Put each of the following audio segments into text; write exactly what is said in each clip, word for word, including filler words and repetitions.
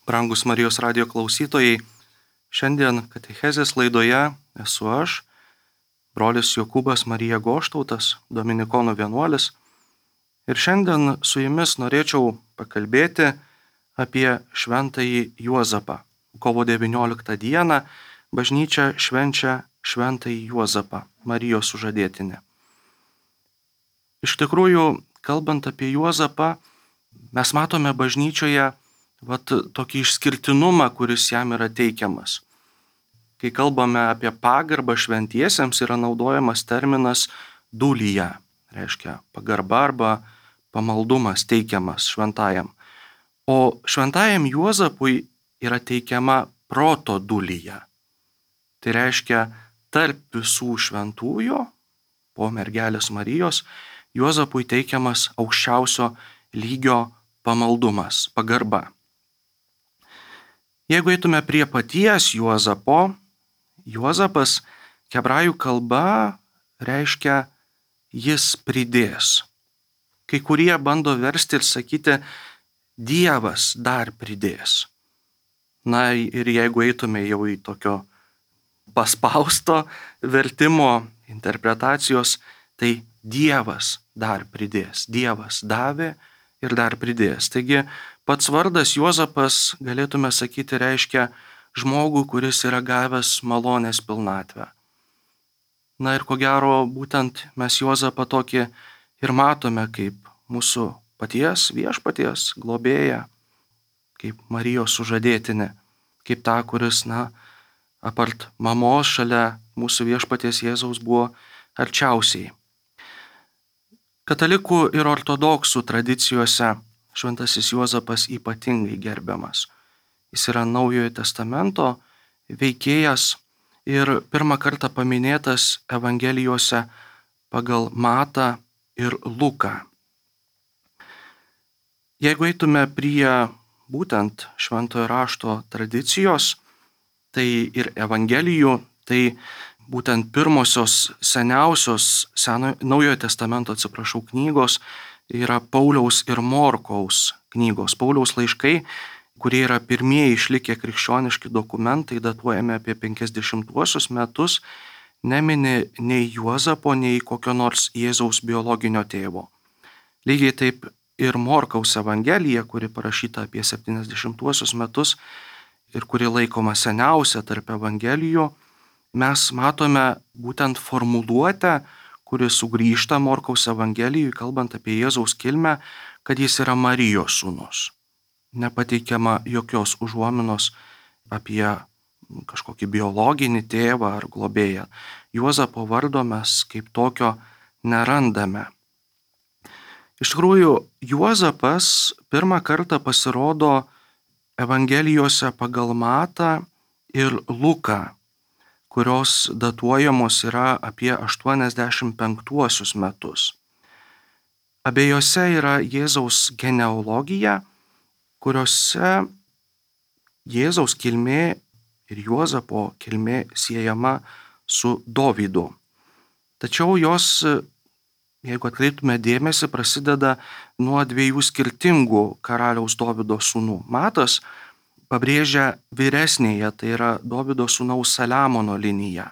Brangus Marijos radijo klausytojai, šiandien katechezės laidoje esu aš, brolis Jokūbas Marija Goštautas, dominikonų vienuolis. Ir šiandien su jumis norėčiau pakalbėti apie šventąjį Juozapą. Kovo devynioliktą dieną bažnyčia švenčia šventąjį Juozapą, Marijos sužadėtinę. Iš tikrųjų, kalbant apie Juozapą, mes matome bažnyčioje vat tokį išskirtinumą, kuris jam yra teikiamas. Kai kalbame apie pagarbą šventiesiems, yra naudojamas terminas dulija, reiškia pagarba arba pamaldumas teikiamas šventajam. O šventajam Juozapui yra teikiama proto dulija. Tai reiškia tarp visų šventųjų, po mergelės Marijos, Juozapui teikiamas aukščiausio lygio pamaldumas, pagarba. Jeigu eitume prie paties Juozapo, Juozapas hebrajų kalba reiškia jis pridės. Kai kurie bando versti ir sakyti Dievas dar pridės. Na ir jeigu eitume jau į tokio paspausto vertimo interpretacijos, tai Dievas dar pridės. Dievas davė ir dar pridės. Taigi pats vardas Juozapas, galėtume sakyti, reiškia žmogų, kuris yra gavęs malonės pilnatvę. Na ir ko gero, būtent mes Juozapą tokį ir matome kaip mūsų paties viešpaties globėją, kaip Marijos sužadėtinę, kaip tą, kuris, na, apart mamos šalia mūsų viešpaties Jėzaus buvo arčiausiai. Katalikų ir ortodoksų tradicijose šventasis Juozapas ypatingai gerbiamas. Jis yra Naujojo testamento veikėjas ir pirmą kartą paminėtas Evangelijose pagal Matą ir Luką. Jeigu eitume prie būtent šventojo rašto tradicijos, tai ir Evangelijų, tai būtent pirmosios seniausios seno, Naujojo testamento, atsiprašau, knygos yra Pauliaus ir Morkaus knygos. Pauliaus laiškai, kurie yra pirmieji išlikę krikščioniški dokumentai, datuojami apie penkiasdešimtuosius metus, nemini nei Juozapo, nei kokio nors Jėzaus biologinio tėvo. Lygiai taip ir Morkaus Evangelija, kuri parašyta apie septyniasdešimtuosius metus ir kuri laikoma seniausia tarp Evangelijų, mes matome būtent formuluotę, kuri sugrįžta Morkaus Evangelijui, kalbant apie Jėzaus kilmę, kad jis yra Marijos sūnus. Nepateikiama jokios užuominos apie kažkokį biologinį tėvą ar globėją. Juozapo vardo mes kaip tokio nerandame. Iš tikrųjų, Juozapas pirmą kartą pasirodo Evangelijose pagal Matą ir Luką, kurios datuojamos yra apie aštuoniasdešimt penktuosius metus. Abiejose yra Jėzaus genealogija, kuriuose Jėzaus kilmė ir Juozapo kilmė siejama su Dovydu. Tačiau jos, jeigu atkreiptume dėmesį, prasideda nuo dviejų skirtingų karaliaus Dovydo sūnų. Matas pabrėžia vyresnėje, tai yra Dovydo sūnaus Saliamono liniją,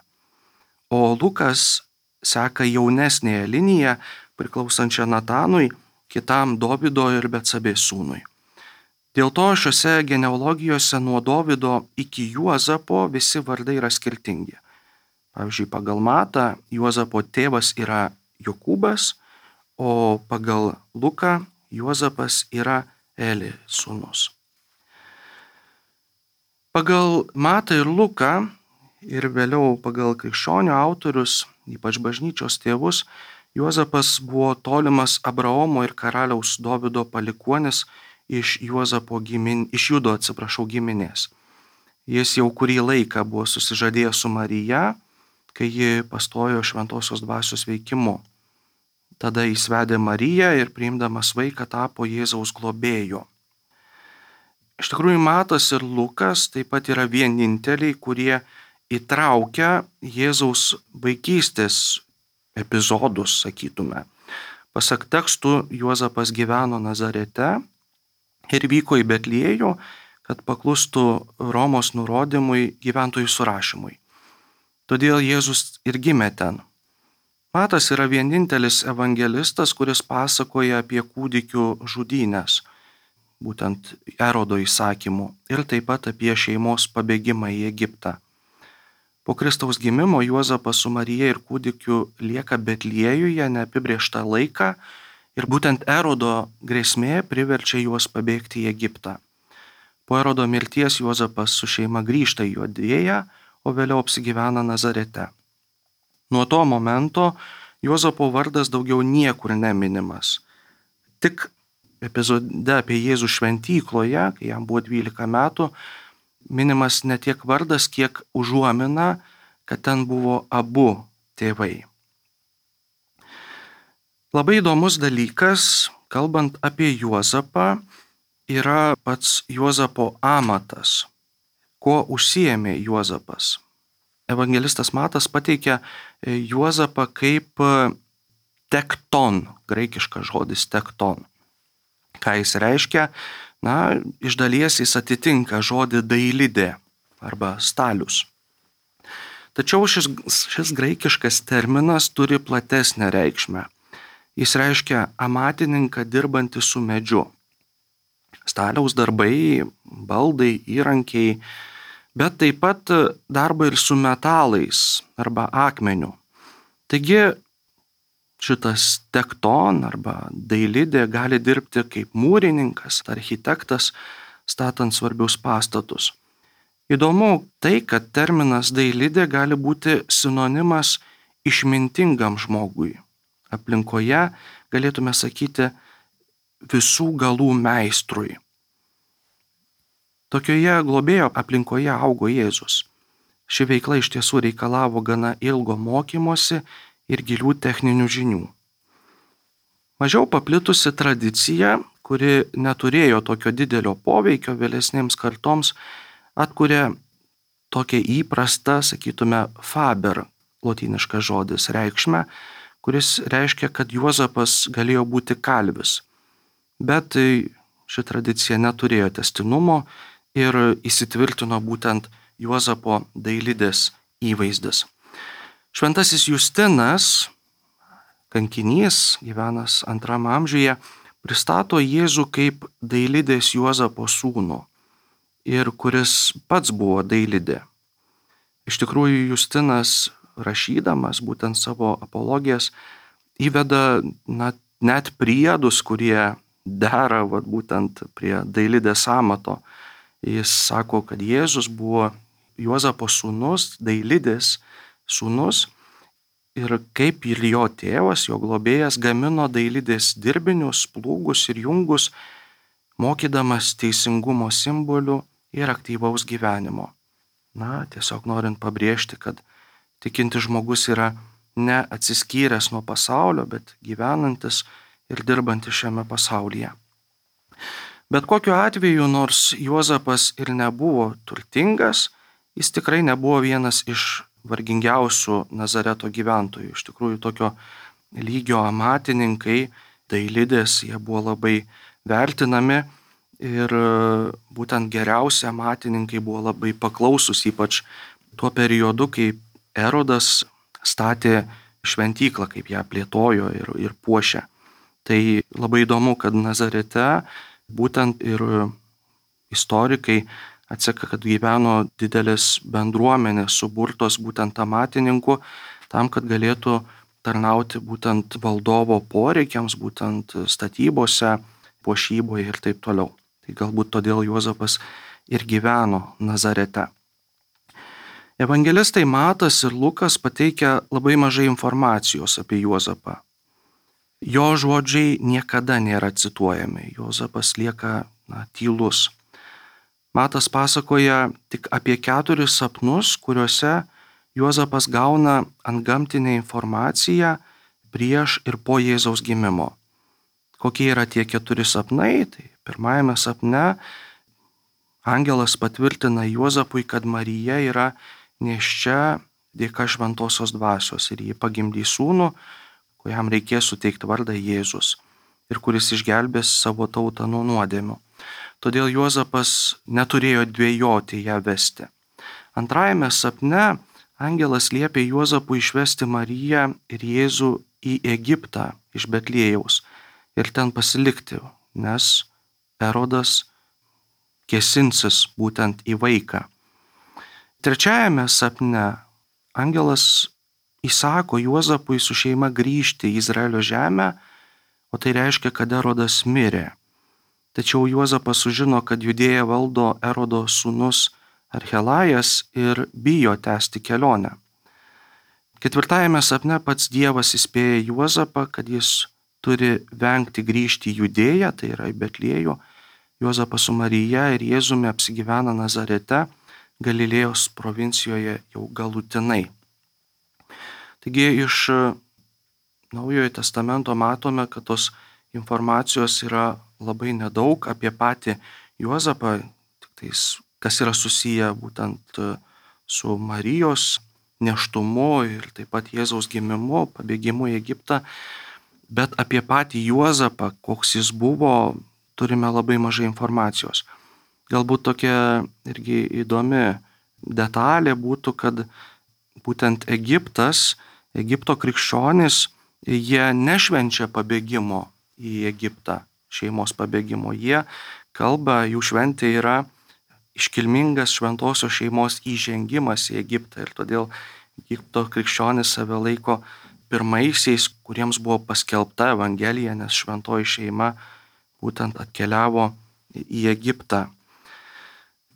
o Lukas seka jaunesnėje liniją, priklausančią Natanui, kitam Dovydo ir Betsabės sūnui. Dėl to šiuose genealogijose nuo Dovydo iki Juozapo visi vardai yra skirtingi. Pavyzdžiui, pagal Matą Juozapo tėvas yra Jokūbas, o pagal Luką Juozapas yra Eli sūnus. Pagal Matą ir Luką ir vėliau pagal krikščionių autorius, ypač bažnyčios tėvus, Juozapas buvo tolimas Abraomo ir karaliaus Dovydo palikuonis iš Juozapo gimin, iš Judo, atsiprašau, giminės. Jis jau kurį laiką buvo susižadėjęs su Marija, kai ji pastojo šventosios dvasios veikimu. Tada jis vedė Mariją ir priimdamas vaiką tapo Jėzaus globėju. Iš tikrųjų, Matas ir Lukas taip pat yra vieninteliai, kurie įtraukia Jėzaus vaikystės epizodus, sakytume. Pasak tekstų, Juozapas gyveno Nazarete ir vyko į Betliejų, kad paklustų Romos nurodymui gyventojų surašymui. Todėl Jėzus ir gimė ten. Matas yra vienintelis evangelistas, kuris pasakoja apie kūdikių žudynės, būtent Erodo įsakymu, ir taip pat apie šeimos pabėgimą į Egiptą. Po Kristaus gimimo Juozapas su Marija ir kūdikiu lieka Betliejuje neapibrėžtą laiką ir būtent Erodo grėsmė priverčia juos pabėgti į Egiptą. Po Erodo mirties Juozapas su šeima grįžta į Judėją, o vėliau apsigyvena Nazarete. Nuo to momento Juozapo vardas daugiau niekur neminimas. Tik epizode apie Jėzų šventykloje, kai jam buvo dvylika metų, minimas ne tiek vardas, kiek užuomina, kad ten buvo abu tėvai. Labai įdomus dalykas, kalbant apie Juozapą, yra pats Juozapo amatas. Kuo užsiėmė Juozapas? Evangelistas Matas pateikia Juozapą kaip tekton, graikiškas žodis tekton. Ką jis reiškia? Na, iš dalies jis atitinka žodį dailidė arba stalius. Tačiau šis, šis graikiškas terminas turi platesnę reikšmę. Jis reiškia amatininką dirbantį su medžiu. Staliaus darbai, baldai, įrankiai, bet taip pat darbą ir su metalais arba akmeniu. Taigi šitas tekton arba dailidė gali dirbti kaip mūrininkas, architektas, statant svarbius pastatus. Įdomu tai, kad terminas dailidė gali būti sinonimas išmintingam žmogui. Aplinkoje galėtume sakyti visų galų meistrui. Tokioje globėjo aplinkoje augo Jėzus. Ši veikla iš tiesų reikalavo gana ilgo mokymosi ir gilių techninių žinių. Mažiau paplitusi tradicija, kuri neturėjo tokio didelio poveikio vėlesnėms kartoms, atkuria tokią įprastą, sakytume, faber, lotyniškas žodis, reikšmę, kuris reiškia, kad Juozapas galėjo būti kalvis. Bet ši tradicija neturėjo tęstinumo ir įsitvirtino būtent Juozapo dailidės įvaizdis. Šventasis Justinas, kankinys, gyvenęs antrame amžiuje, pristato Jėzų kaip dailidės Juozapo sūnų ir kuris pats buvo dailidė. Iš tikrųjų, Justinas, rašydamas būtent savo apologijas, įveda na, net priedus, kurie dera vat, būtent prie dailidės amato. Jis sako, kad Jėzus buvo Juozapo sūnus, dailidės sūnus, ir kaip ir jo tėvas, jo globėjas, gamino dailidės dirbinius, plūgus ir jungus, mokydamas teisingumo simbolių ir aktyvaus gyvenimo. Na, tiesiog norint pabrėžti, kad tikintis žmogus yra ne atsiskyręs nuo pasaulio, bet gyvenantis ir dirbantis šiame pasaulyje. Bet kokiu atveju, nors Juozapas ir nebuvo turtingas, jis tikrai nebuvo vienas iš vargingiausių Nazareto gyventojų. Iš tikrųjų, tokio lygio amatininkai, dailidės, jie buvo labai vertinami ir būtent geriausi amatininkai buvo labai paklausus, ypač tuo periodu, kai Erodas statė šventyklą, kaip ją plėtojo ir, ir puošė. Tai labai įdomu, kad Nazarete būtent ir istorikai atseka, kad gyveno didelės bendruomenės suburtos būtent amatininkų, tam, kad galėtų tarnauti būtent valdovo poreikiams, būtent statybose, puošyboje ir taip toliau. Tai galbūt todėl Juozapas ir gyveno Nazarete. Evangelistai Matas ir Lukas pateikia labai mažai informacijos apie Juozapą. Jo žodžiai niekada nėra cituojami. Juozapas lieka na, tylus. Matas pasakoja tik apie keturis sapnus, kuriuose Juozapas gauna antgamtinę informaciją prieš ir po Jėzaus gimimo. Kokie yra tie keturi sapnai? Tai pirmajame sapne angelas patvirtina Juozapui, kad Marija yra nėščia dėka šventosios dvasios ir jį pagimdys sūnų, kuriam reikės suteikti vardą Jėzus ir kuris išgelbės savo tautą nuo nuodėmių. todėl Juozapas neturėjo dvejoti ją vesti. Antrajame sapne angelas liepė Juozapui išvesti Mariją ir Jėzų į Egiptą iš Betliejaus ir ten pasilikti, nes Erodas kėsinsis būtent į vaiką. Trečiajame sapne angelas įsako Juozapui su šeima grįžti į Izraelio žemę, o tai reiškia, kad Erodas mirė. Tačiau Juozapas sužino, kad Judėją valdo Erodo sūnus Archelajas ir bijo tęsti kelionę. Ketvirtajame sapne pats Dievas įspėja Juozapą, kad jis turi vengti grįžti į Judėją, tai yra į Betliejų. Juozapas su Marija ir Jėzumi apsigyvena Nazarete, Galilėjos provincijoje jau galutinai. Taigi iš Naujojo testamento matome, kad tos informacijos yra labai nedaug apie patį Juozapą, tik tais, kas yra susiję būtent su Marijos nėštumu ir taip pat Jėzaus gimimu, pabėgimu į Egiptą, bet apie patį Juozapą, koks jis buvo, turime labai mažai informacijos. Galbūt tokia irgi įdomi detalė būtų, kad būtent Egiptas, Egipto krikščionys, jie nešvenčia pabėgimo į Egiptą, šeimos pabėgimo. Jie kalba, jų šventė yra iškilmingas šventosios šeimos įžengimas į Egiptą ir todėl Egipto krikščionys save laiko pirmaisiais, kuriems buvo paskelbta Evangelija, nes šventoji šeima būtent atkeliavo į Egiptą.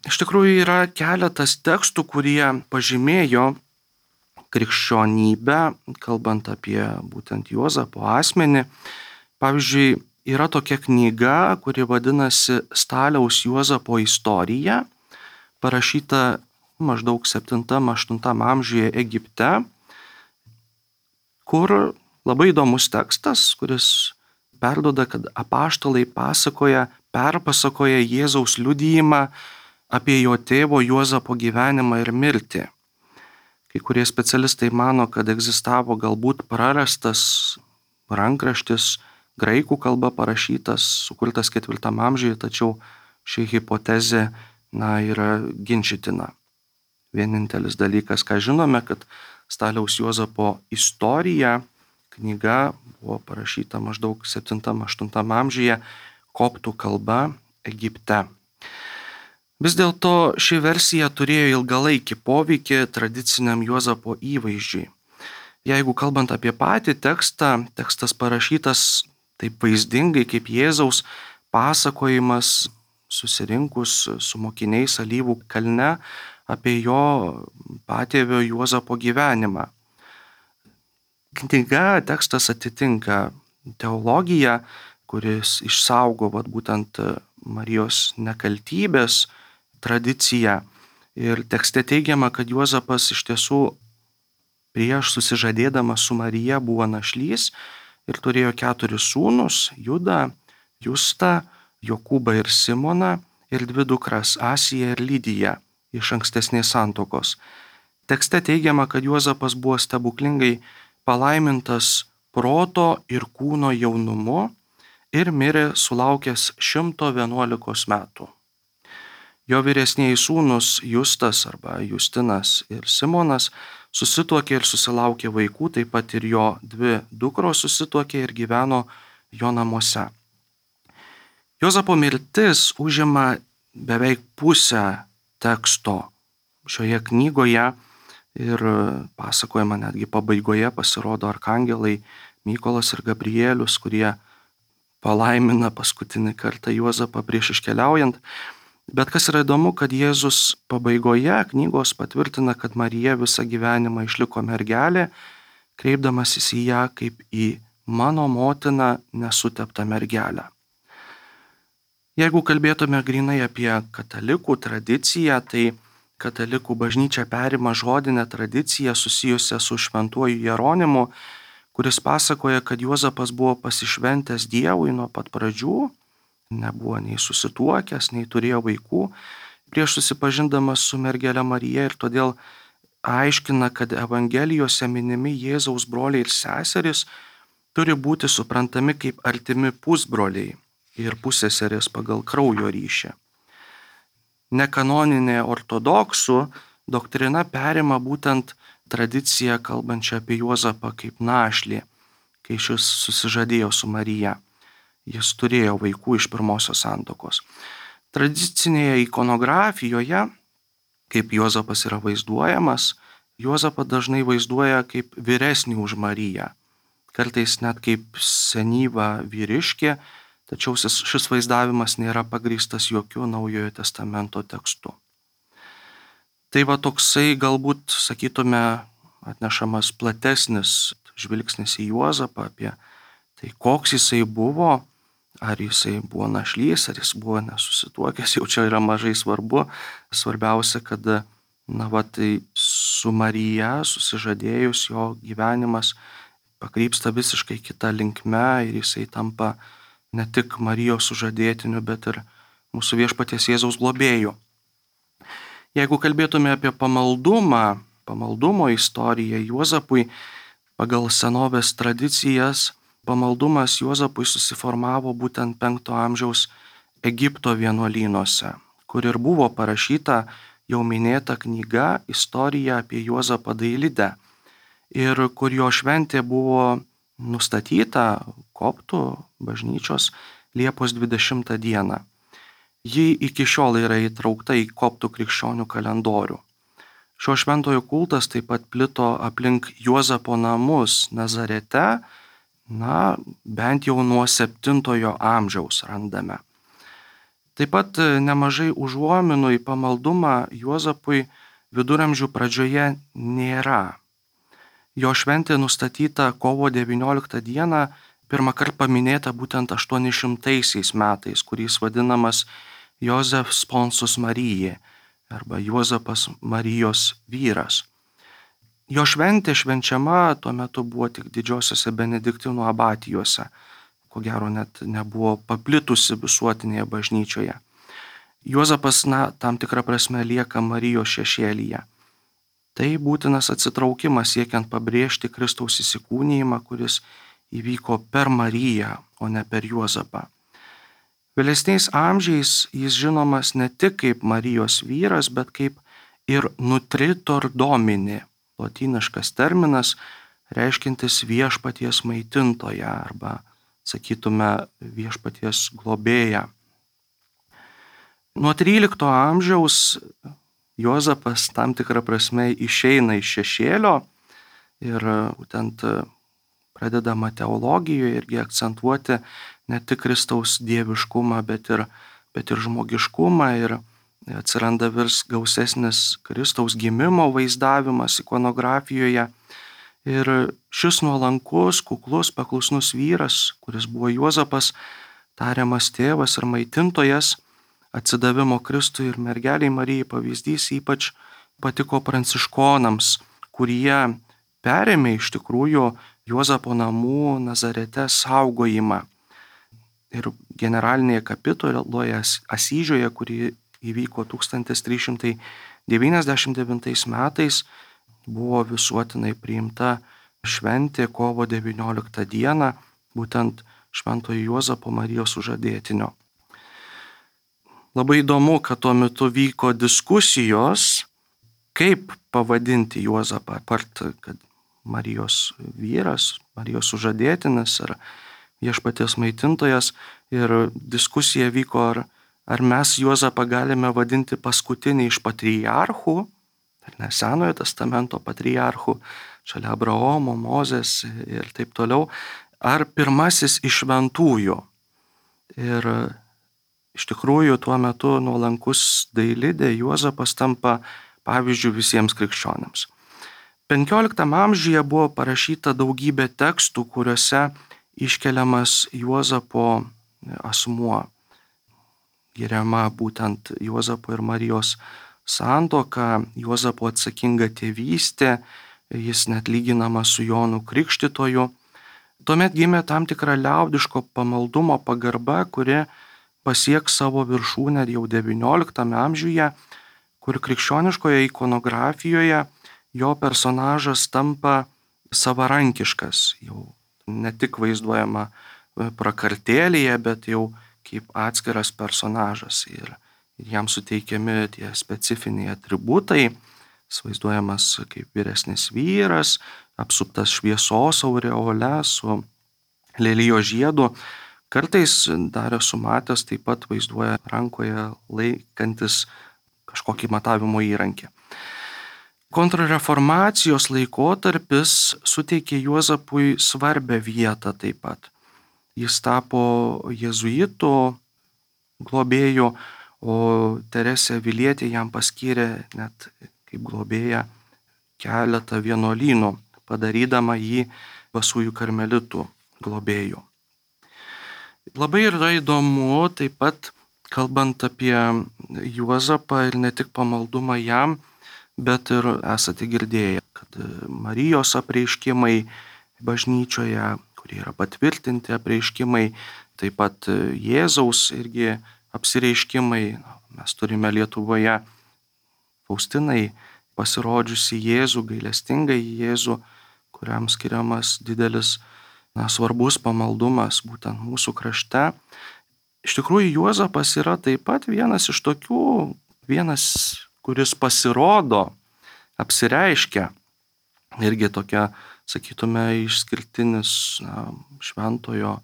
Iš tikrųjų yra keletas tekstų, kurie pažymėjo krikščionybę, kalbant apie būtent Juozapo asmenį. Pavyzdžiui, yra tokia knyga, kuri vadinasi Staliaus Juozapo istorija, parašyta maždaug septintam aštuntam amžiuje Egipte, kur labai įdomus tekstas, kuris perduoda, kad apaštalai pasakoja, perpasakoja Jėzaus liudijimą apie jo tėvo Juozapo gyvenimą ir mirtį. Kai kurie specialistai mano, kad egzistavo galbūt prarastas rankraštis, graikų kalba parašytas, sukurtas ketvirtam amžiuje, tačiau ši hipotezė na, yra ginčytina. Vienintelis dalykas, ką žinome, kad Staliaus Juozapo istorija, knyga buvo parašyta maždaug septintam aštuntam amžiuje koptų kalba Egipte. Vis dėlto ši versija turėjo ilgalaikį poveikį tradiciniam Juozapo įvaizdžiui. Jeigu kalbant apie patį tekstą, tekstas parašytas taip vaizdingai kaip Jėzaus pasakojimas susirinkus su mokiniais Alyvų kalne apie jo patėvio Juozapo gyvenimą. Knyga, tekstas atitinka teologiją, kuris išsaugo vat, būtent Marijos nekaltybės tradiciją. Ir tekste teigiama, kad Juozapas iš tiesų prieš susižadėdamas su Marija buvo našlys ir turėjo keturis sūnus – Judą, Justą, Jokūbą ir Simoną ir dvi dukras – Asiją ir Lydiją iš ankstesnės santuokos. Tekste teigiama, kad Juozapas buvo stebuklingai palaimintas proto ir kūno jaunumu ir mirė sulaukęs šimto vienuolikos metų. Jo vyresnieji sūnus Justas arba Justinas ir Simonas susituokė ir susilaukė vaikų, taip pat ir jo dvi dukros susituokė ir gyveno jo namuose. Juozapo mirtis užima beveik pusę teksto šioje knygoje ir pasakojama netgi pabaigoje pasirodo arkangelai Mykolas ir Gabrielius, kurie palaimina paskutinį kartą Juozapą prieš iškeliaujant. Bet kas yra įdomu, kad Jėzus pabaigoje knygos patvirtina, kad Marija visą gyvenimą išliko mergelė, kreipdamasis į ją kaip į mano motiną nesuteptą mergelę. Jeigu kalbėtume grinai apie katalikų tradiciją, tai katalikų bažnyčia perima žodinę tradiciją susijusią su šventuoju Jeronimu, kuris pasakoja, kad Juozapas buvo pasišventęs Dievui nuo pat pradžių, nebuvo nei susituokęs, nei turėjo vaikų, prieš susipažindamas su mergele Marija ir todėl aiškina, kad Evangelijose minimi Jėzaus broliai ir seserys turi būti suprantami kaip artimi pusbroliai ir pusseserės pagal kraujo ryšį. Nekanoninė ortodoksų doktrina perima būtent tradiciją kalbančią apie Juozapą kaip našlį, kai šis susižadėjo su Marija. Jis turėjo vaikų iš pirmosios santuokos. Tradicinėje ikonografijoje, kaip Juozapas yra vaizduojamas, Juozapą dažnai vaizduoja kaip vyresnį už Mariją, kartais net kaip senyvą vyriškį, tačiau šis vaizdavimas nėra pagrįstas jokių Naujojo testamento tekstu. Tai va toksai galbūt, sakytume, atnešamas platesnis žvilgsnis į Juozapą apie tai, koks jisai buvo, ar jisai buvo našlys, ar jis buvo nesusituokęs, jau čia yra mažai svarbu. Svarbiausia, kad na, va, tai su Marija susižadėjus jo gyvenimas pakrypsta visiškai kita linkme ir jisai tampa ne tik Marijos sužadėtiniu, bet ir mūsų viešpaties Jėzaus globėju. Jeigu kalbėtume apie pamaldumą, pamaldumo istoriją Juozapui, pagal senovės tradicijas, pamaldumas Juozapui susiformavo būtent penkto amžiaus Egipto vienuolynuose, kur ir buvo parašyta jau minėta knyga Istorija apie Juozapą Dailidę, ir kur jo šventė buvo nustatyta koptų bažnyčios Liepos dvidešimtą dieną. Ji iki šiol yra įtraukta į koptų krikščionių kalendorių. Šio šventojo kultas taip pat plito aplink Juozapo namus Nazarete, na, bent jau nuo septintojo amžiaus randame. Taip pat nemažai užuominų į pamaldumą Juozapui viduramžių pradžioje nėra. Jo šventė nustatyta kovo devynioliktą dieną, pirmą kartą paminėta būtent aštuonišimtaisiais metais, kuris vadinamas Jozef Sponsus Marijai arba Juozapas Marijos vyras. Jo šventė švenčiama tuo metu buvo tik didžiosiose benediktinų abatijose, ko gero net nebuvo paplitusi visuotinėje bažnyčioje. Juozapas, na, tam tikrą prasme lieka Marijos šešėlyje. Tai būtinas atsitraukimas siekiant pabrėžti Kristaus įsikūnijimą, kuris įvyko per Mariją, o ne per Juozapą. Vėlesniais amžiais jis žinomas ne tik kaip Marijos vyras, bet kaip ir nutritor domini, lotyniškas terminas, reiškintis viešpaties maitintoją arba, sakytume, viešpaties globėją. Nuo trylikto amžiaus Juozapas tam tikrą prasme išeina iš šešėlio ir būtent pradedama teologijoje irgi akcentuoti ne tik Kristaus dieviškumą, bet ir, bet ir žmogiškumą, ir atsiranda vis gausesnis Kristaus gimimo vaizdavimas ikonografijoje. Ir šis nuolankus, kuklus, paklusnus vyras, kuris buvo Juozapas, tariamas tėvas ir maitintojas, atsidavimo Kristui ir mergeliai Marijai pavyzdys ypač patiko pranciškonams, kurie perėmė iš tikrųjų Juozapo namų Nazarete saugojimą. Ir generalinėje kapituloje Asyžiuje, kuri įvyko tūkstantis trys šimtai devyniasdešimt devintais metais, buvo visuotinai priimta šventė kovo devynioliktą dieną, būtent šventojo Juozapo Marijos sužadėtinio. Labai įdomu, kad tuo metu vyko diskusijos, kaip pavadinti Juozapą, apart, kad Marijos vyras, Marijos sužadėtinis ar viešpaties maitintojas, ir diskusija vyko, ar, ar mes Juozapą galime vadinti paskutinį iš patriarchų, ar ne Senojo testamento patriarchų, šalia Abraomo, Mozės ir taip toliau, ar pirmasis iš šventųjų. Ir iš tikrųjų tuo metu nuolankus Dailidė Juozapas tampa pavyzdžių visiems krikščionėms. penkioliktam amžiuje buvo parašyta daugybė tekstų, kuriuose iškeliamas Juozapo asmuo. Giriama būtent Juozapo ir Marijos santuoka, Juozapo atsakinga tėvystė, jis net lyginamas su Jonu Krikštytoju. Tuomet gimė tam tikra liaudiško pamaldumo pagarba, kuri pasieks savo viršūnę jau devynioliktame amžiuje, kur krikščioniškoje ikonografijoje jo personažas tampa savarankiškas, jau ne tik vaizduojama prakartėlėje, bet jau kaip atskiras personažas ir, ir jam suteikiami tie specifiniai atributai. Jis vaizduojamas kaip vyresnis vyras, apsuptas šviesos aureole su lelijo žiedu. Kartais dar esu matęs taip pat vaizduoja rankoje laikantis kažkokį matavimo įrankį. Kontrreformacijos laikotarpis suteikė Juozapui svarbę vietą taip pat. Jis tapo jėzuitų globėju, o Teresė Avilietė jam paskyrė net kaip globėja keletą vienuolynų, padarydama jį Basųjų karmelitų globėju. Labai yra įdomu taip pat, kalbant apie Juozapą ir ne tik pamaldumą jam, bet ir esate girdėję, kad Marijos apreiškimai bažnyčioje, kurie yra patvirtinti apreiškimai, taip pat Jėzaus irgi apsireiškimai. Mes turime Lietuvoje Faustinai pasirodžiusi Jėzų, gailestingą Jėzų, kuriam skiriamas didelis, na, svarbus pamaldumas būtent mūsų krašte. Iš tikrųjų, Juozapas yra taip pat vienas iš tokių, vienas, kuris pasirodo, apsireiškia, irgi tokia, sakytume, išskirtinis, na, šventojo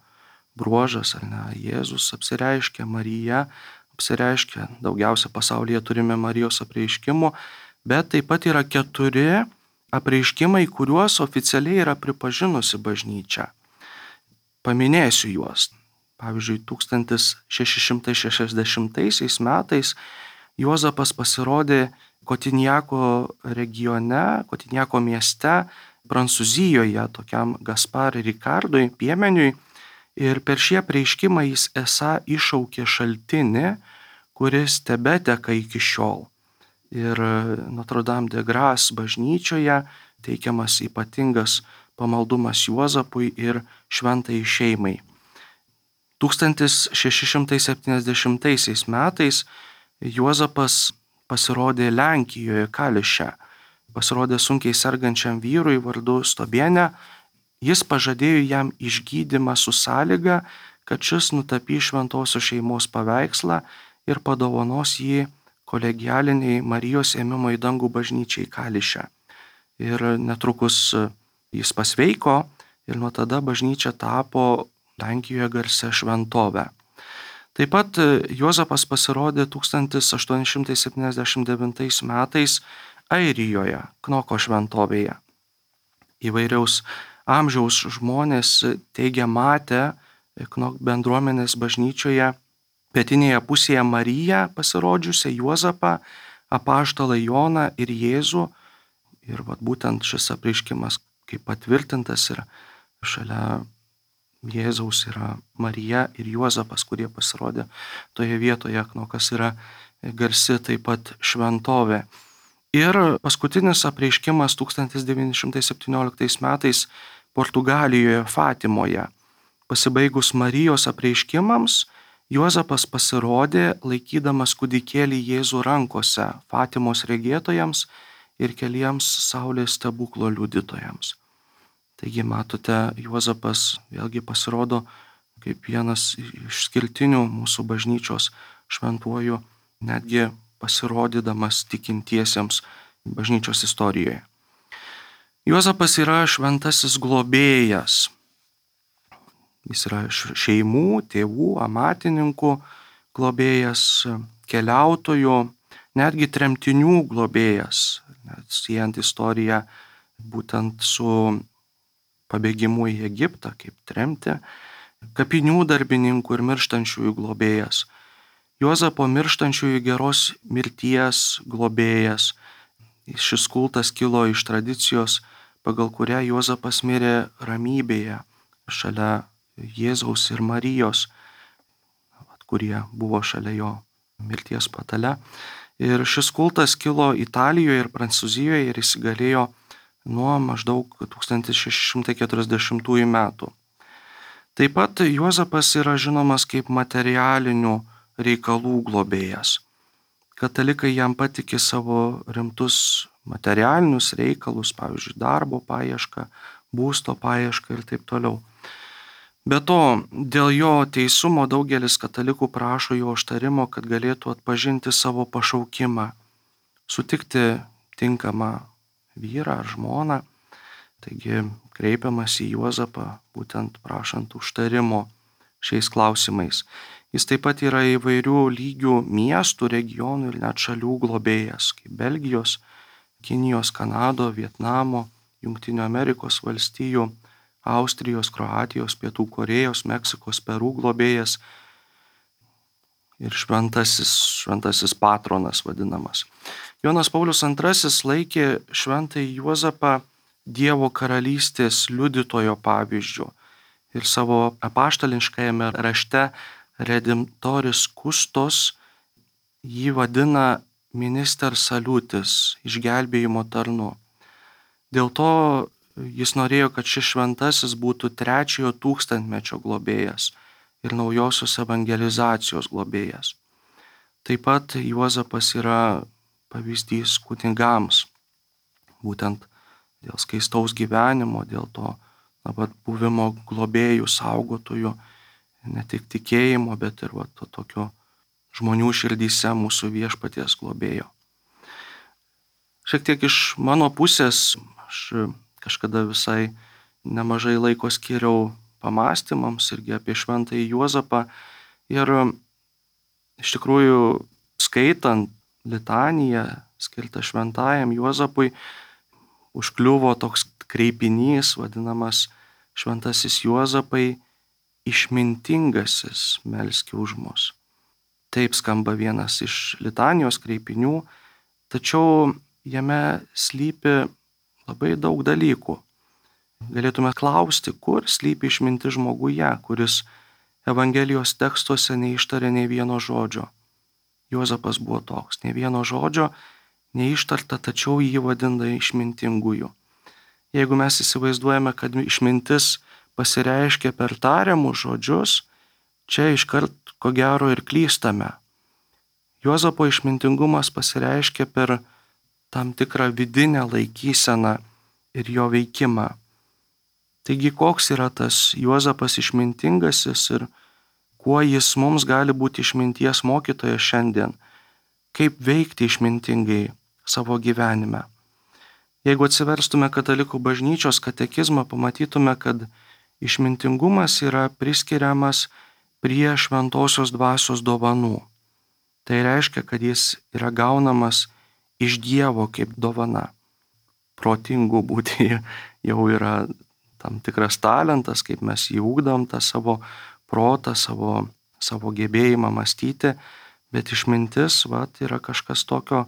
bruožas, ar ne, Jėzus apsireiškia, Marija apsireiškia, daugiausia pasaulyje turime Marijos apreiškimų, bet taip pat yra keturi apreiškimai, kuriuos oficialiai yra pripažinusi bažnyčia. Paminėsiu juos. Pavyzdžiui, tūkstantis šeši šimtai šešiasdešimtaisiais metais Juozapas pasirodė Kotinjako regione, Kotinjako mieste, Prancūzijoje, tokiam Gaspar Ricardui, piemeniui, ir per šį apreiškimą jis esą iššaukė šaltinį, kuris tebeteka iki šiol. Ir Notre Dame de Grâce bažnyčioje teikiamas ypatingas pamaldumas Juozapui ir šventai šeimai. tūkstantis šeši šimtai septyniasdešimtaisiais metais Juozapas pasirodė Lenkijoje, Kališe. Pasirodė sunkiai sergančiam vyrui vardu Stobienė. Jis pažadėjo jam išgydymą su sąlyga, kad šis nutapys šventosios šeimos paveikslą ir padovanos jį kolegialiniai Marijos ėmimo į dangų bažnyčiai Kališe. Ir netrukus jis pasveiko ir nuo tada bažnyčia tapo Lenkijoje garsia šventovė. Taip pat Juozapas pasirodė tūkstantis aštuoni šimtai septyniasdešimt devintais metais Airijoje, Knoko šventovėje. Įvairiaus amžiaus žmonės teigia matę Knok bendruomenės bažnyčioje pietinėje pusėje Mariją pasirodžiusią, Juozapą, apaštalą Joną ir Jėzų. Ir vat, būtent šis apreiškimas, kaip patvirtintas, ir šalia Jėzaus yra Marija ir Juozapas, kurie pasirodė toje vietoje, Knokas yra garsi taip pat šventovė. Ir paskutinis apreiškimas tūkstantis devyni šimtai septynioliktais metais Portugalijoje, Fatimoje. Pasibaigus Marijos apreiškimams, Juozapas pasirodė laikydamas kūdikėlį Jėzų rankose Fatimos regėtojams ir keliems saulės stebuklo liudytojams. Taigi matote, Juozapas vėlgi pasirodo kaip vienas iš išskirtinių mūsų bažnyčios šventuojų, netgi pasirodydamas tikintiesiems bažnyčios istorijoje. Juozapas yra šventasis globėjas. Jis yra šeimų, tėvų, amatininkų globėjas, keliautojų, netgi tremtinių globėjas, net siejant istoriją būtent su pabėgimu į Egiptą, kaip tremti, kapinių darbininkų ir mirštančiųjų globėjas, Juozapo mirštančiųjų geros mirties globėjas. Šis kultas kilo iš tradicijos, pagal kurią Juozapas mirė ramybėje šalia Jėzaus ir Marijos, kurie buvo šalia jo mirties patale. Ir šis kultas kilo Italijoje ir Prancūzijoje ir įsigalėjo nuo maždaug tūkstantis šeši šimtai keturiasdešimtųjų metų. Taip pat Juozapas yra žinomas kaip materialinių reikalų globėjas. Katalikai jam patikė savo rimtus materialinius reikalus, pavyzdžiui, darbo paiešką, būsto paiešką ir taip toliau. Be to, dėl jo teisumo daugelis katalikų prašo jo užtarimo, kad galėtų atpažinti savo pašaukimą, sutikti tinkamą vyrą ar žmoną. Taigi kreipiamas į Juozapą būtent prašant užtarimo šiais klausimais. Jis taip pat yra įvairių lygių miestų, regionų ir net šalių globėjas, kaip Belgijos, Kinijos, Kanado, Vietnamo, Jungtinių Amerikos valstijų, Austrijos, Kroatijos, Pietų Korėjos, Meksikos, Perų globėjas ir šventasis, šventasis patronas vadinamas. Jonas Paulius antrasis laikė šventąjį Juozapą Dievo karalystės liudytojo pavyzdžiu ir savo apaštališkajame rašte Redemptoris Kustos jį vadina minister salutis, išgelbėjimo tarnu. Dėl to jis norėjo, kad šis šventasis būtų trečiojo tūkstantmečio globėjas ir naujosios evangelizacijos globėjas. Taip pat Juozapas yra pavyzdys kunigams, būtent dėl skaistaus gyvenimo, dėl to na, buvimo globėjų, saugotojų, ne tik tikėjimo, bet ir va, to tokio žmonių širdyse mūsų viešpaties globėjo. Šiek tiek iš mano pusės, aš kažkada visai nemažai laiko skiriau pamastymams irgi apie šventąjį Juozapą ir iš tikrųjų skaitant litaniją skirtą šventajam Juozapui, užkliuvo toks kreipinys, vadinamas šventasis Juozapai, išmintingasis melski už mus. Taip skamba vienas iš litanijos kreipinių, tačiau jame slypi labai daug dalykų. Galėtume klausti, kur slypi išmintis žmoguje, kuris Evangelijos tekstuose neištarė nei vieno žodžio. Juozapas buvo toks, nei vieno žodžio neištarta, tačiau jį vadina išmintingųjų. Jeigu mes įsivaizduojame, kad išmintis pasireiškia per tariamus žodžius, čia iškart ko gero ir klystame. Juozapo išmintingumas pasireiškia per tam tikrą vidinę laikyseną ir jo veikimą. Taigi koks yra tas Juozapas išmintingasis ir kuo jis mums gali būti išminties mokytojas šiandien, kaip veikti išmintingai savo gyvenime. Jeigu atsiverstume Katalikų bažnyčios katekizmą, pamatytume, kad išmintingumas yra priskiriamas prie šventosios dvasios dovanų. Tai reiškia, kad jis yra gaunamas iš Dievo kaip dovana. Protingų būti jau yra tam tikras talentas, kaip mes jį ugdom, tą savo protą, savo, savo gebėjimą mąstyti, bet išmintis vat, yra kažkas tokio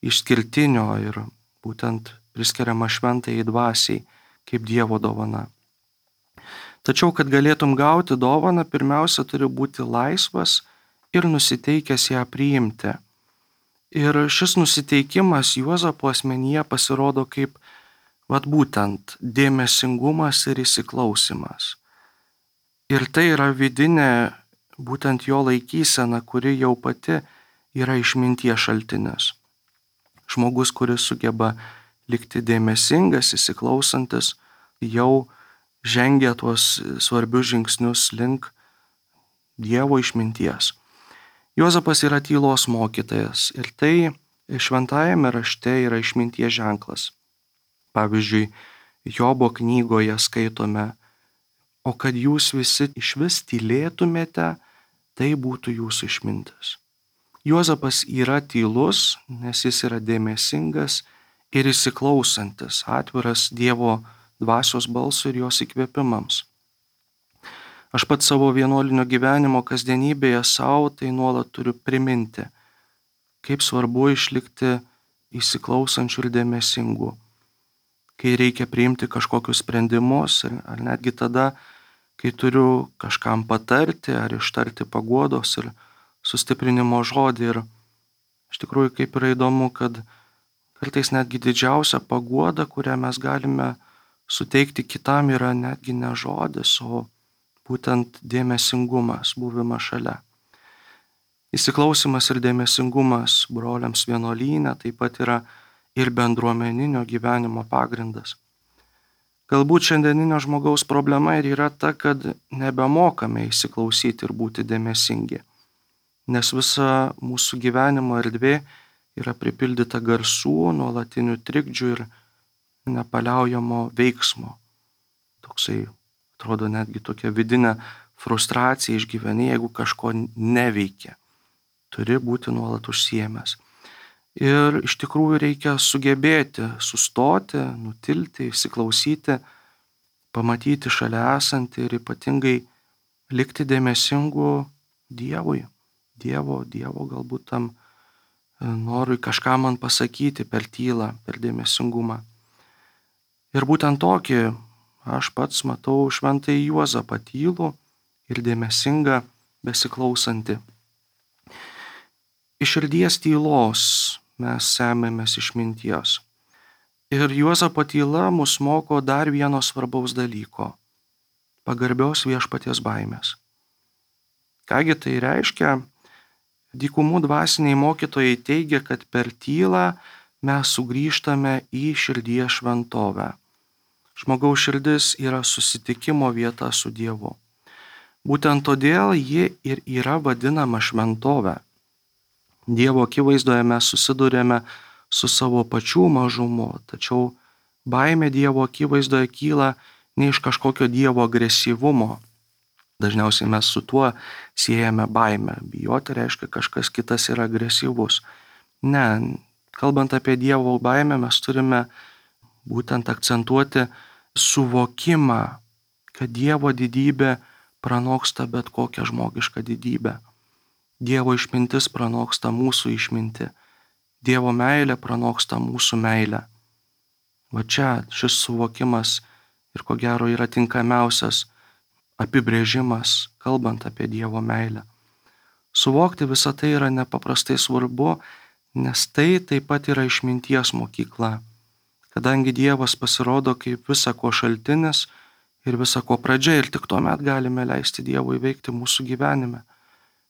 išskirtinio ir būtent priskiriama šventajai dvasiai kaip Dievo dovana. Tačiau, kad galėtum gauti dovaną, pirmiausia turi būti laisvas ir nusiteikęs ją priimti. Ir šis nusiteikimas Juozapo asmenyje pasirodo kaip vat būtent dėmesingumas ir įsiklausimas. Ir tai yra vidinė būtent jo laikysena, kuri jau pati yra išminties šaltinis. Žmogus, kuris sugeba likti dėmesingas, įsiklausantis, jau žengia tuos svarbius žingsnius link Dievo išminties. Juozapas yra tylos mokytojas ir tai šventajame rašte yra išminties ženklas. Pavyzdžiui, Jobo knygoje skaitome, o kad jūs visi išvis tylėtumėte, tai būtų jūsų išmintis. Juozapas yra tylus, nes jis yra dėmesingas ir įsiklausantis, atviras Dievo dvasios balsui ir jos įkvėpimams. Aš pats savo vienuolinio gyvenimo kasdienybėje savo tai nuolat turiu priminti, kaip svarbu išlikti įsiklausančių ir dėmesingų, kai reikia priimti kažkokius sprendimus ar netgi tada, kai turiu kažkam patarti ar ištarti paguodos ir sustiprinimo žodį. Ir iš tikrųjų kaip yra įdomu, kad kartais netgi didžiausia paguoda, kurią mes galime suteikti kitam, yra netgi ne žodis, o būtent dėmesingumas, buvimas šalia. Įsiklausimas ir dėmesingumas broliams vienuolyne taip pat yra ir bendruomeninio gyvenimo pagrindas. Galbūt šiandieninio žmogaus problema ir yra ta, kad nebemokame įsiklausyti ir būti dėmesingi, nes visa mūsų gyvenimo erdvė yra pripildyta garsų, nuolatinių trikdžių ir nepaliaujamo veiksmo. Toksai, atrodo, netgi tokia vidinė frustracija išgyveni, jeigu kažko neveikia. Turi būti nuolat užsiėmęs. Ir iš tikrųjų reikia sugebėti sustoti, nutilti, įsiklausyti, pamatyti šalia esantį ir ypatingai likti dėmesingu Dievui. Dievo, Dievo galbūt tam norui kažką man pasakyti per tylą, per dėmesingumą. Ir būtent tokį aš pats matau šventąjį Juozapą tylų ir dėmesingą, besiklausantį. Iš širdies tylos mes semėmės išminties. Ir Juozapo tyla mus moko dar vieno svarbaus dalyko - pagarbios viešpaties baimės. Kągi tai reiškia? Dykumų dvasiniai mokytojai teigia, kad per tylą mes sugrįžtame į širdies šventovę. Žmogaus širdis yra susitikimo vieta su Dievu. Būtent todėl ji ir yra vadinama šventove. Dievo akivaizdoje mes susidurėme su savo pačių mažumu, tačiau baimė Dievo akivaizdoje kyla ne iš kažkokio Dievo agresyvumo. Dažniausiai mes su tuo siejame baimę. Bijoti reiškia kažkas kitas yra agresyvus. Ne, kalbant apie Dievo baimę, mes turime būtent akcentuoti suvokimą, kad Dievo didybė pranoksta bet kokią žmogišką didybę. Dievo išmintis pranoksta mūsų išmintį. Dievo meilė pranoksta mūsų meilę. Va čia šis suvokimas ir ko gero yra tinkamiausias apibrėžimas, kalbant apie Dievo meilę. Suvokti visą tai yra nepaprastai svarbu, nes tai taip pat yra išminties mokykla, kadangi Dievas pasirodo kaip visa ko šaltinis ir visa ko pradžia ir tik tuomet galime leisti Dievui veikti mūsų gyvenime,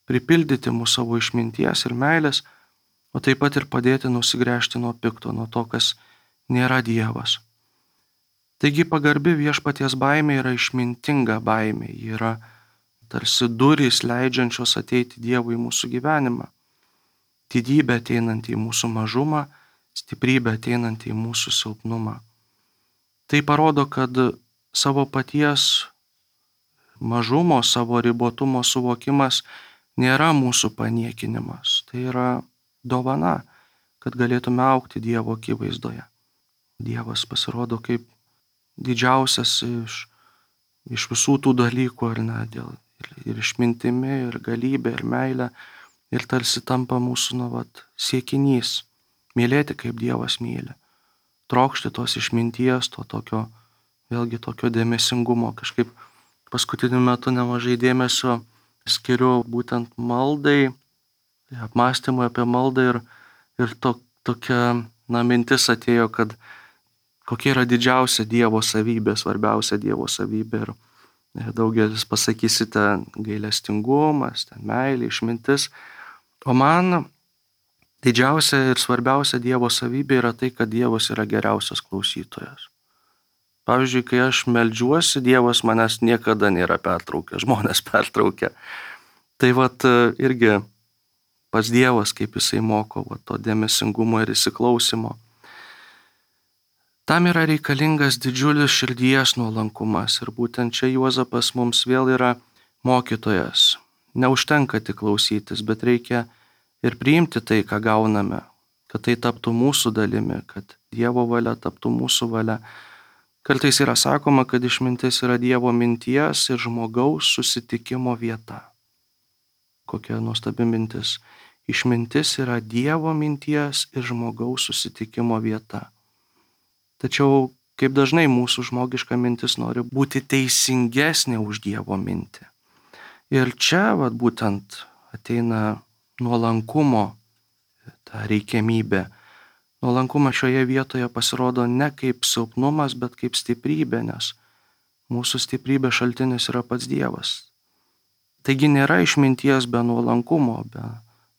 pripildyti mūsų savo išminties ir meilės, o taip pat ir padėti nusigręžti nuo pikto, nuo to, kas nėra Dievas. Taigi pagarbi viešpaties baimė yra išmintinga baimė, ji yra tarsi durys leidžiančios ateiti Dievui į mūsų gyvenimą. Didybė ateinanti į mūsų mažumą, stiprybė ateinanti į mūsų silpnumą. Tai parodo, kad savo paties mažumo, savo ribotumo suvokimas nėra mūsų paniekinimas. Tai yra dovana, kad galėtume augti Dievo akivaizdoje. Dievas pasirodo kaip didžiausias iš, iš visų tų dalykų, ar ne, dėl, ir, ir išmintimi, ir galybė, ir meilė, ir tarsi tampa mūsų nu, vat, siekinys, mylėti kaip Dievas myli, trokšti tos išminties, to tokio, vėlgi tokio dėmesingumo. Kažkaip paskutiniu metu nemažai dėmesio skiriu būtent maldai, apmąstymui apie maldą ir, ir to, tokia na, mintis atėjo, kad kokia yra didžiausia Dievo savybė, svarbiausia Dievo savybė. Ir daugelis pasakysite gailestingumas, ten meilė, išmintis. O man didžiausia ir svarbiausia Dievo savybė yra tai, kad Dievas yra geriausias klausytojas. Pavyzdžiui, kai aš meldžiuosi, Dievas manęs niekada nėra pertraukęs, žmonės pertraukia. Tai vat irgi pats Dievas, kaip jisai moko vat, to dėmesingumo ir įsiklausimo. Tam yra reikalingas didžiulis širdies nuolankumas ir būtent čia Juozapas mums vėl yra mokytojas. Neužtenka tik klausytis, bet reikia ir priimti tai, ką gauname, kad tai taptų mūsų dalimi, kad Dievo valia taptų mūsų valia. Kartais yra sakoma, kad išmintis yra Dievo minties ir žmogaus susitikimo vieta. Kokia nuostabi mintis. Išmintis yra Dievo minties ir žmogaus susitikimo vieta. Tačiau kaip dažnai mūsų žmogiška mintis nori būti teisingesnė už Dievo mintį. Ir čia vat, būtent ateina nuolankumo ta reikiamybė. Nuolankumas šioje vietoje pasirodo ne kaip silpnumas, bet kaip stiprybė, nes mūsų stiprybės šaltinis yra pats Dievas. Taigi nėra išminties be nuolankumo, be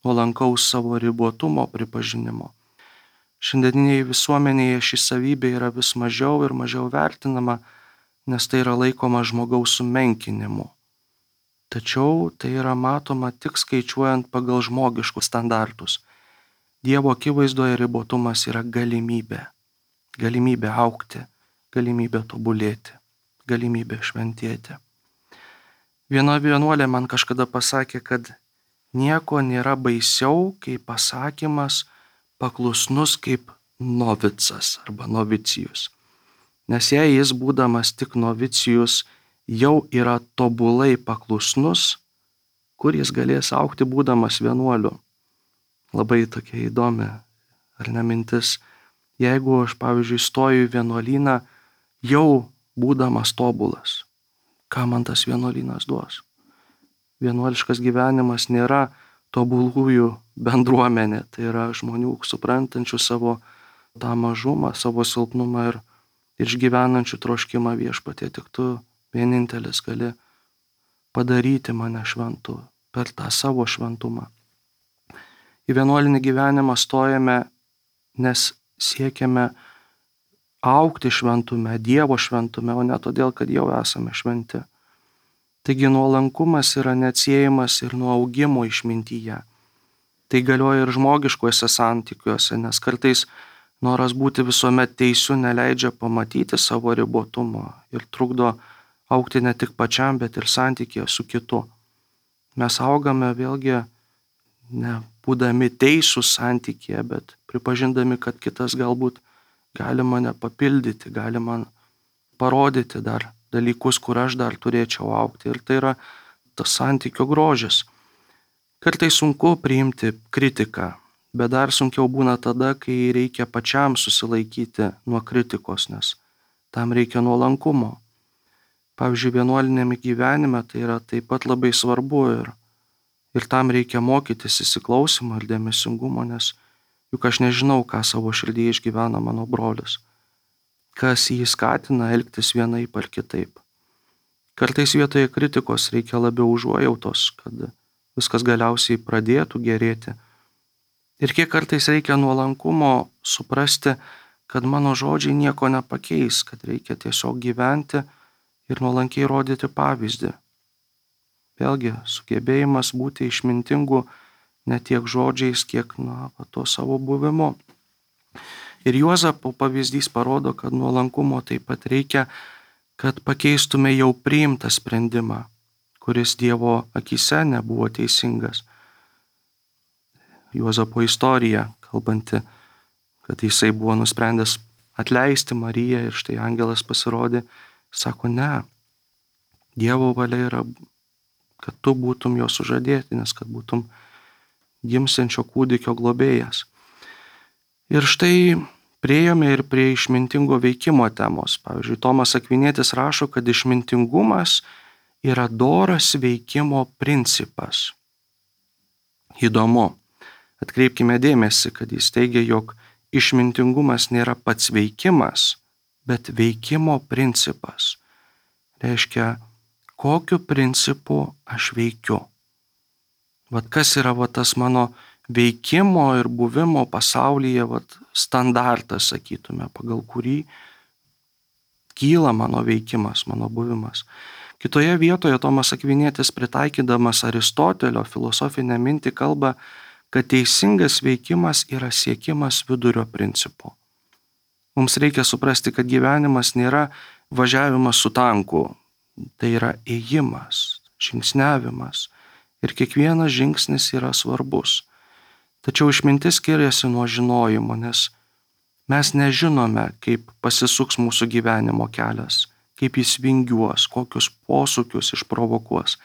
nuolankaus savo ribotumo pripažinimo. Šiandieninėje visuomenėje ši savybė yra vis mažiau ir mažiau vertinama, nes tai yra laikoma žmogaus sumenkinimu. Tačiau tai yra matoma tik skaičiuojant pagal žmogiškus standartus. Dievo akivaizdoje ribotumas yra galimybė. Galimybė augti, galimybė tobulėti, galimybė šventėti. Viena vienuolė man kažkada pasakė, kad nieko nėra baisiau, kai pasakymas paklusnus kaip novicas arba novicijus. Nes jei jis, būdamas tik novicijus, jau yra tobulai paklusnus, kur jis galės augti būdamas vienuoliu. Labai tokia įdomi, ar ne mintis. Jeigu aš, pavyzdžiui, stoju į vienuolyną, jau būdamas tobulas, ką man tas vienuolynas duos? Vienuoliškas gyvenimas nėra tobulųjų bendruomenė, tai yra žmonių suprantančių savo tą mažumą, savo silpnumą ir išgyvenančių troškimą viešpatie. Tik tu vienintelis gali padaryti mane šventu per tą savo šventumą. Į vienuolinį gyvenimą stojame, nes siekiame augti šventume, Dievo šventume, o ne todėl, kad jau esame šventi. Taigi nuolankumas yra neatsiejamas ir nuo augimo išmintyje. Tai galioja ir žmogiškuose santykiuose, nes kartais noras būti visuomet teisiu neleidžia pamatyti savo ribotumo ir trukdo augti ne tik pačiam, bet ir santykėje su kitu. Mes augame vėlgi ne būdami teisūs santykėje, bet pripažindami, kad kitas galbūt gali mane papildyti, gali man parodyti dar dalykus, kur aš dar turėčiau augti. Ir tai yra tas santykio grožis. Kartais sunku priimti kritiką, bet dar sunkiau būna tada, kai reikia pačiam susilaikyti nuo kritikos, nes tam reikia nuolankumo. Pavyzdžiui, vienuolinėme gyvenime tai yra taip pat labai svarbu ir, ir tam reikia mokytis įsiklausimo ir dėmesingumo, nes juk aš nežinau, ką savo širdyje išgyvena mano brolis, kas jį skatina elgtis vienaip ar kitaip. Kartais vietoje kritikos reikia labiau užuojautos, kad viskas galiausiai pradėtų gerėti. Ir kiek kartais reikia nuolankumo suprasti, kad mano žodžiai nieko nepakeis, kad reikia tiesiog gyventi ir nuolankiai rodyti pavyzdį. Vėlgi, sugebėjimas būti išmintingu ne tiek žodžiais, kiek na, to savo buvimu. Ir Juozapo pavyzdys parodo, kad nuolankumo taip pat reikia, kad pakeistume jau priimtą sprendimą, kuris Dievo akyse nebuvo teisingas. Juozapo istorija, kalbanti, kad jisai buvo nusprendęs atleisti Mariją ir štai angelas pasirodė, sako, ne, Dievo valia yra, kad tu būtum jo sužadėtinis, kad būtum gimsiančio kūdikio globėjas. Ir štai priėjome ir prie išmintingo veikimo temos. Pavyzdžiui, Tomas Akvinietis rašo, kad išmintingumas yra doras veikimo principas. Įdomu. Atkreipkime dėmesį, kad jis teigia, jog išmintingumas nėra pats veikimas, bet veikimo principas. Reiškia, kokiu principu aš veikiu. Vat kas yra vat tas mano veikimo ir buvimo pasaulyje vat standartas, sakytume, pagal kurį kyla mano veikimas, mano buvimas. Kitoje vietoje Tomas Akvinietis, pritaikydamas Aristotelio filosofinę mintį, kalba, kad teisingas veikimas yra siekimas vidurio principu. Mums reikia suprasti, kad gyvenimas nėra važiavimas su tanku, tai yra ėjimas, žingsniavimas ir kiekvienas žingsnis yra svarbus. Tačiau išmintis skiriasi nuo žinojimo, nes mes nežinome, kaip pasisuks mūsų gyvenimo kelias, kaip jis vingiuos, kokius posūkius išprovokuos.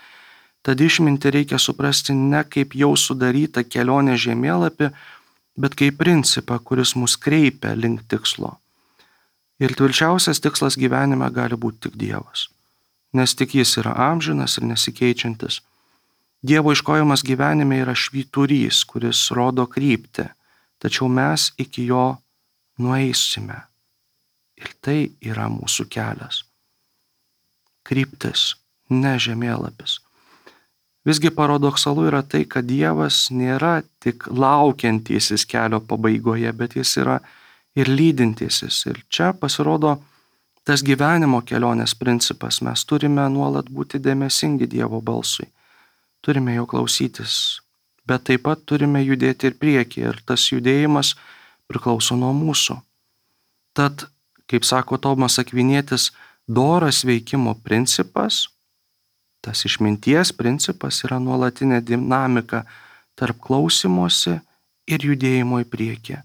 Tad išmintį reikia suprasti ne kaip jau sudarytą kelionę žemėlapį, bet kaip principą, kuris mus kreipia link tikslo. Ir tvirčiausias tikslas gyvenime gali būti tik Dievas, nes tik jis yra amžinas ir nesikeičiantis. Dievo ieškojimas gyvenime yra švyturys, kuris rodo kryptį, tačiau mes iki jo nueisime. Ir tai yra mūsų kelias. Kryptis, ne žemėlapis. Visgi paradoksalu yra tai, kad Dievas nėra tik laukiantysis kelio pabaigoje, bet jis yra ir lydintysis. Ir čia pasirodo tas gyvenimo kelionės principas. Mes turime nuolat būti dėmesingi Dievo balsui. Turime jo klausytis, bet taip pat turime judėti ir priekį. Ir tas judėjimas priklauso nuo mūsų. Tad, kaip sako Tomas Akvinietis, doras veikimo principas, tas išminties principas yra nuolatinė dinamika tarp klausimosi ir judėjimo į priekį,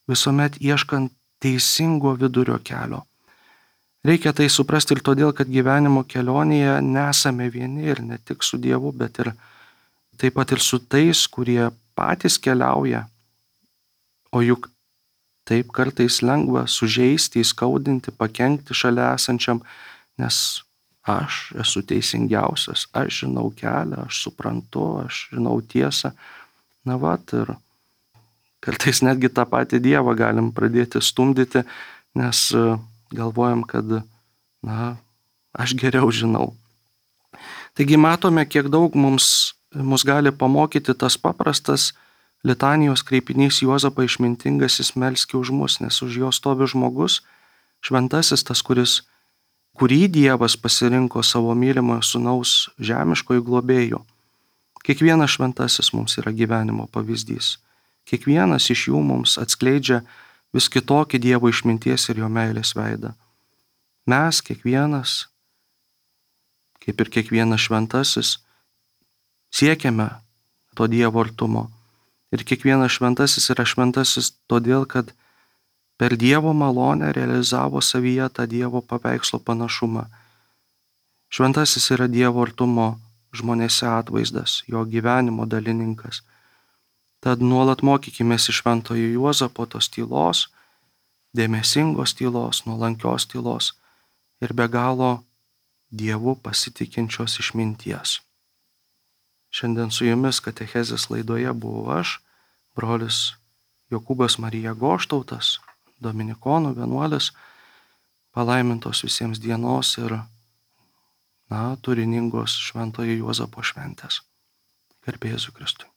visuomet ieškant teisingo vidurio kelio. Reikia tai suprasti ir todėl, kad gyvenimo kelionėje nesame vieni ir ne tik su Dievu, bet ir taip pat ir su tais, kurie patys keliauja. O juk taip kartais lengva sužeisti, įskaudinti, pakenkti šalia esančiam, nes aš esu teisingiausias, aš žinau kelią, aš suprantu, aš žinau tiesą. Na vat, ir kartais netgi tą patį Dievą galim pradėti stumdyti, nes galvojam, kad, na, aš geriau žinau. Taigi matome, kiek daug mums, mus gali pamokyti tas paprastas litanijos kreipinys Juozapą išmintingasis melski už mus, nes už jo stovi žmogus, šventasis tas, kuris kurį Dievas pasirinko savo mylimojo sūnaus žemiškojų globėjų. Kiekvienas šventasis mums yra gyvenimo pavyzdys. Kiekvienas iš jų mums atskleidžia vis kitokį Dievo išminties ir jo meilės veidą. Mes, kiekvienas, kaip ir kiekvienas šventasis, siekiame to Dievo artumo. Ir kiekvienas šventasis yra šventasis todėl, kad per Dievo malonę realizavo savyje tą Dievo paveikslo panašumą. Šventasis yra Dievo artumo žmonėse atvaizdas, jo gyvenimo dalininkas. Tad nuolat mokykimės iš šventojo Juozapo tos tylos, dėmesingos tylos, nuolankios tylos ir be galo Dievu pasitikinčios išminties. Šiandien su jumis katechezės laidoje buvau aš, brolis Jokūbas Marija Goštautas, dominikonų vienuolis, palaimintos visiems dienos ir, na, turiningos šventojo Juozapo šventės. Garbė Jėzui Kristui.